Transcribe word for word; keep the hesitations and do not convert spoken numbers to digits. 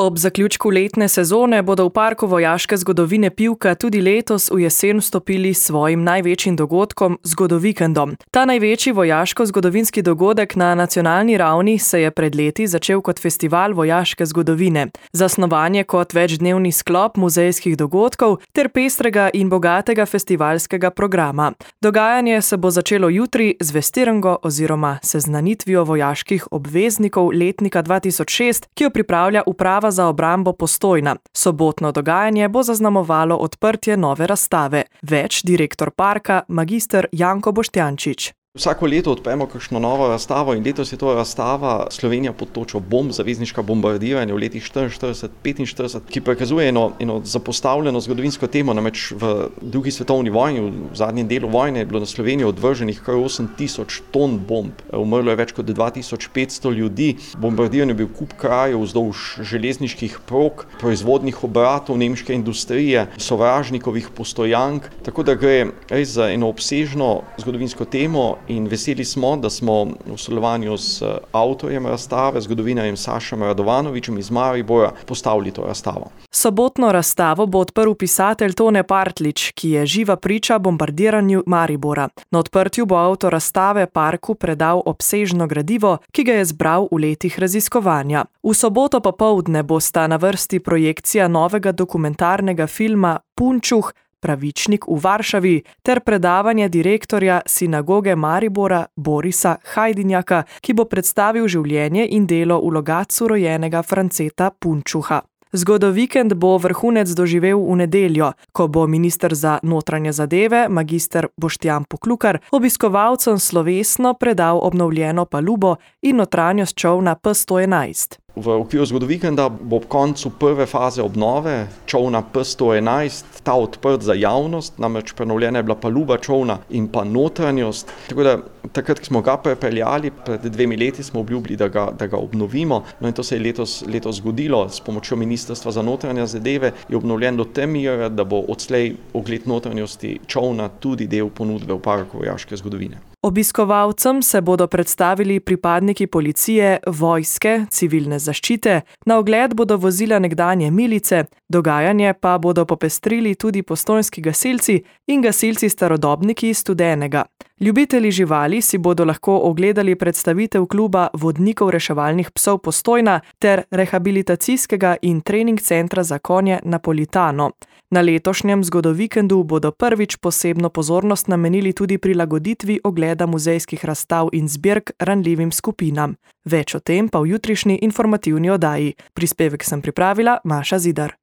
Ob zaključku letne sezone bodo v Parku vojaške zgodovine Pivka tudi letos v jesen vstopili s svojim največjim dogodkom, Zgodovikendom. Ta največji vojaško-zgodovinski dogodek na nacionalni ravni se je pred leti začel kot festival vojaške zgodovine. Zasnovan je kot večdnevni sklop muzejskih dogodkov ter pestrega in bogatega festivalskega programa. Dogajanje se bo začelo jutri z vestirango oziroma seznanitvijo vojaških obveznikov letnika dva tisoč šest, ki jo pripravlja uprava za obrambo Postojna. Sobotno dogajanje bo zaznamovalo odprtje nove razstave. Več direktor parka, magister Janko Boštjančič. Vsako leto odpremo kakšno novo razstavo in letos je to razstava Slovenija pod točo bomb, zavezniška bombardiranja v letih štiriinštirideset petinštirideset, ki prikazuje eno, eno zapostavljeno zgodovinsko temo, namreč v drugi svetovni vojni, v zadnjem delu vojne je bilo na Slovenijo odvrženih kar osem tisoč ton bomb. Umrlo je več kot dva tisoč petsto ljudi, bombardiran je bil kup krajev vzdolž železniških prog, proizvodnih obratov nemške industrije, sovražnikovih postojank, tako da gre res za eno obsežno zgodovinsko temo. In veseli smo, da smo v sodelovanju s avtorjem razstave, zgodovinarjem Sašem Radovanovičem iz Maribora, postavili to razstavo. Sobotno razstavo bo odprl pisatelj Tone Partlič, ki je živa priča bombardiranju Maribora. Na odprtju bo avtor razstave parku predal obsežno gradivo, ki ga je zbral v letih raziskovanja. V soboto popoldne bosta na vrsti projekcija novega dokumentarnega filma Punčuh, Pravičnik v Varšavi ter predavanje direktorja sinagoge Maribora Borisa Hajdinjaka, ki bo predstavil življenje in delo v Logatcu rojenega Franceta Punčuha. Zgodovikend bo vrhunec doživel v nedeljo, ko bo minister za notranje zadeve, magister Boštjan Poklukar, obiskovalcem slovesno predal obnovljeno palubo in notranjost čolna P sto enajst. V okviru Zgodovikenda bo ob koncu prve faze obnove čolna P sto enajst ta odprt za javnost, namreč prenovljena je bila paluba čolna in pa notranjost. Tako da takrat, ko smo ga prepeljali, pred dvemi leti smo obljubili, da ga, da ga obnovimo. No in to se je letos, letos zgodilo. S pomočjo Ministrstva za notranje zadeve je obnovljen do te mere, da bo odslej ogled notranjosti čolna tudi del ponudbe v Parku vojaške zgodovine. Obiskovalcem se bodo predstavili pripadniki policije, vojske, civilne zaščite, na ogled bodo vozila nekdanje milice, dogajanje pa bodo popestrili tudi postojnski gasilci in gasilci starodobniki iz Studenega. Ljubitelji živali si bodo lahko ogledali predstavitev kluba vodnikov reševalnih psov Postojna ter rehabilitacijskega in trening centra za konje Napolitano. Na letošnjem Zgodovikendu bodo prvič posebno pozornost namenili tudi prilagoditvi ogleda muzejskih razstav in zbirk ranljivim skupinam. Več o tem pa v jutrišnji informativni oddaji. Prispevek sem pripravila Maša Zidar.